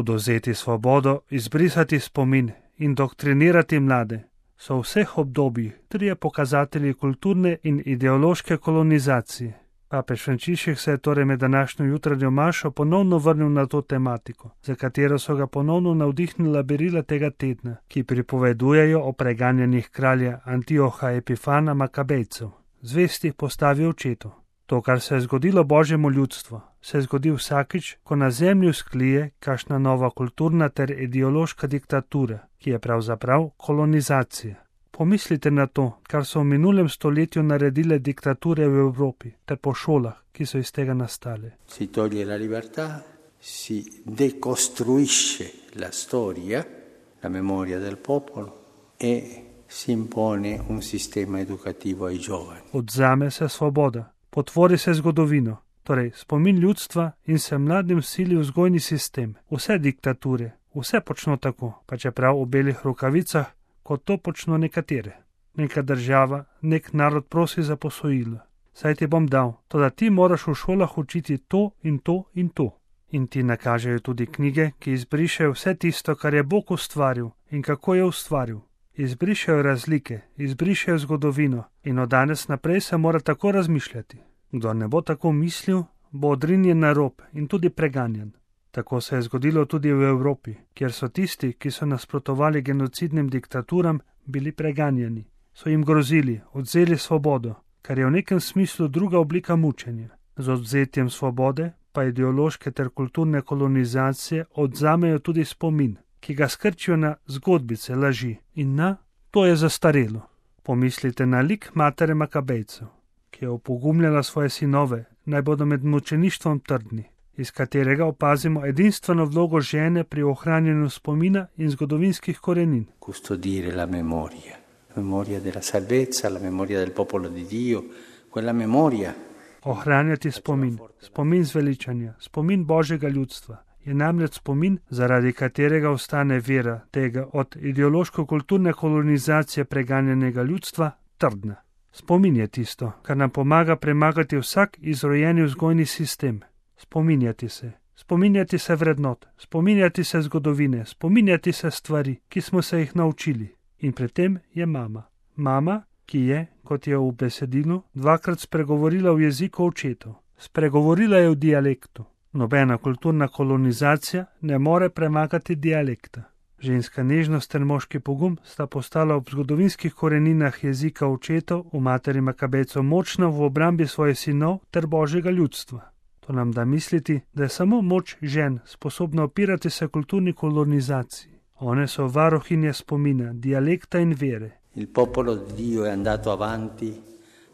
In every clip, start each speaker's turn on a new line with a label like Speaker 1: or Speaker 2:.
Speaker 1: Odvzeti svobodo, izbrisati spomin, indoktrinirati mlade so v vseh obdobjih trije pokazatelji kulturne in ideološke kolonizacije. Papež Frančišek se je torej med današnjo jutranjo mašo ponovno vrnil na to tematiko, za katero so ga ponovno navdihnila berila tega tedna, ki pripovedujejo o preganjanjih kralja Antioha Epifana Makabejcev, zvestih postavi očetov. To, kar se je zgodilo Božjemu ljudstvu, se zgodi vsakič, ko na zemlju sklije kakšna nova kulturna ter ideološka diktatura, ki je pravzaprav kolonizacija. Pomislite na to, kar so v minulem stoletju naredile diktature v Evropi ter po šolah, ki so iz tega nastale.
Speaker 2: Si toglie la libertà, si decostruisce la storia, la memoria del popolo e si impone un sistema educativo ai giovani.
Speaker 1: Odzame se svoboda, potvori se zgodovino, torej spomin ljudstva in se mladim sili vzgojni sistem. Vse diktature, vse počno tako, pa čeprav v belih rokavicah, kot to počno nekatere. Neka država, nek narod prosi za posojilo. Saj ti bom dal, toda ti moraš v šolah učiti to in to in to. In ti nakažejo tudi knjige, ki izbrišejo vse tisto, kar je Bog ustvaril in kako je ustvaril. Izbrišejo razlike, izbrišejo zgodovino in od danes naprej se mora tako razmišljati. Kdo ne bo tako mislil, bo odrinjen na rob in tudi preganjan. Tako se je zgodilo tudi v Evropi, kjer so tisti, ki so nasprotovali genocidnim diktaturam, bili preganjani. So jim grozili, odvzeli svobodo, kar je v nekem smislu druga oblika mučenja. Z odvzetjem svobode pa ideološke ter kulturne kolonizacije odzamejo tudi spomin, ki ga skrčijo na zgodbice, laži in na to je zastarelo. Pomislite na lik matere Makabejcev, ki je opogumljala svoje sinove, naj bodo med mučeništvom trdni, iz katerega opazimo edinstveno vlogo žene pri ohranjanju spomina in zgodovinskih korenin.
Speaker 2: Custodire la memoria della salvezza, la memoria del popolo di Dio, quella memoria.
Speaker 1: Ohranjati spomin zveličanja, spomin Božjega ljudstva je namreč spomin, zaradi katerega ostane vera tega od ideološko-kulturne kolonizacije preganjenega ljudstva trdna. Spomin je tisto, kar nam pomaga premagati vsak izrojeni vzgojni sistem. Spominjati se vrednot, spominjati se zgodovine, spominjati se stvari, ki smo se jih naučili. In pri tem je mama. Mama, ki je, kot je v besedilu, dvakrat spregovorila v jeziku očetov. Spregovorila je v dialektu. Nobena kulturna kolonizacija ne more premagati dialekta. Ženska nežnost ter moški pogum sta postala ob zgodovinskih koreninah jezika očetov v materi Makabejcev močna v obrambi svojih sinov ter Božjega ljudstva. To nam da misliti, da je samo moč žen sposobna opirati se kulturni kolonizaciji. One so varuhinje spomina, dialekta in vere.
Speaker 2: Il popolo di Dio è andato avanti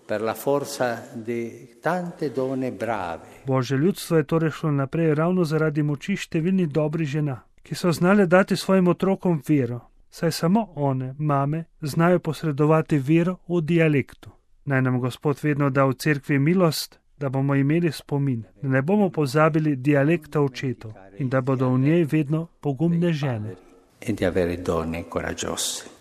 Speaker 2: per la forza di tante donne brave.
Speaker 1: Božje ljudstvo je torej šlo naprej ravno zaradi moči številnih dobrih žena, ki so znale dati svojim otrokom vero, saj samo one, mame, znajo posredovati vero v dialektu. Naj nam Gospod vedno da v cerkvi milost, da bomo imeli spomin, da ne bomo pozabili dialekta očetov in da bodo v njej vedno pogumne žene.
Speaker 2: E di avere donne coraggiose.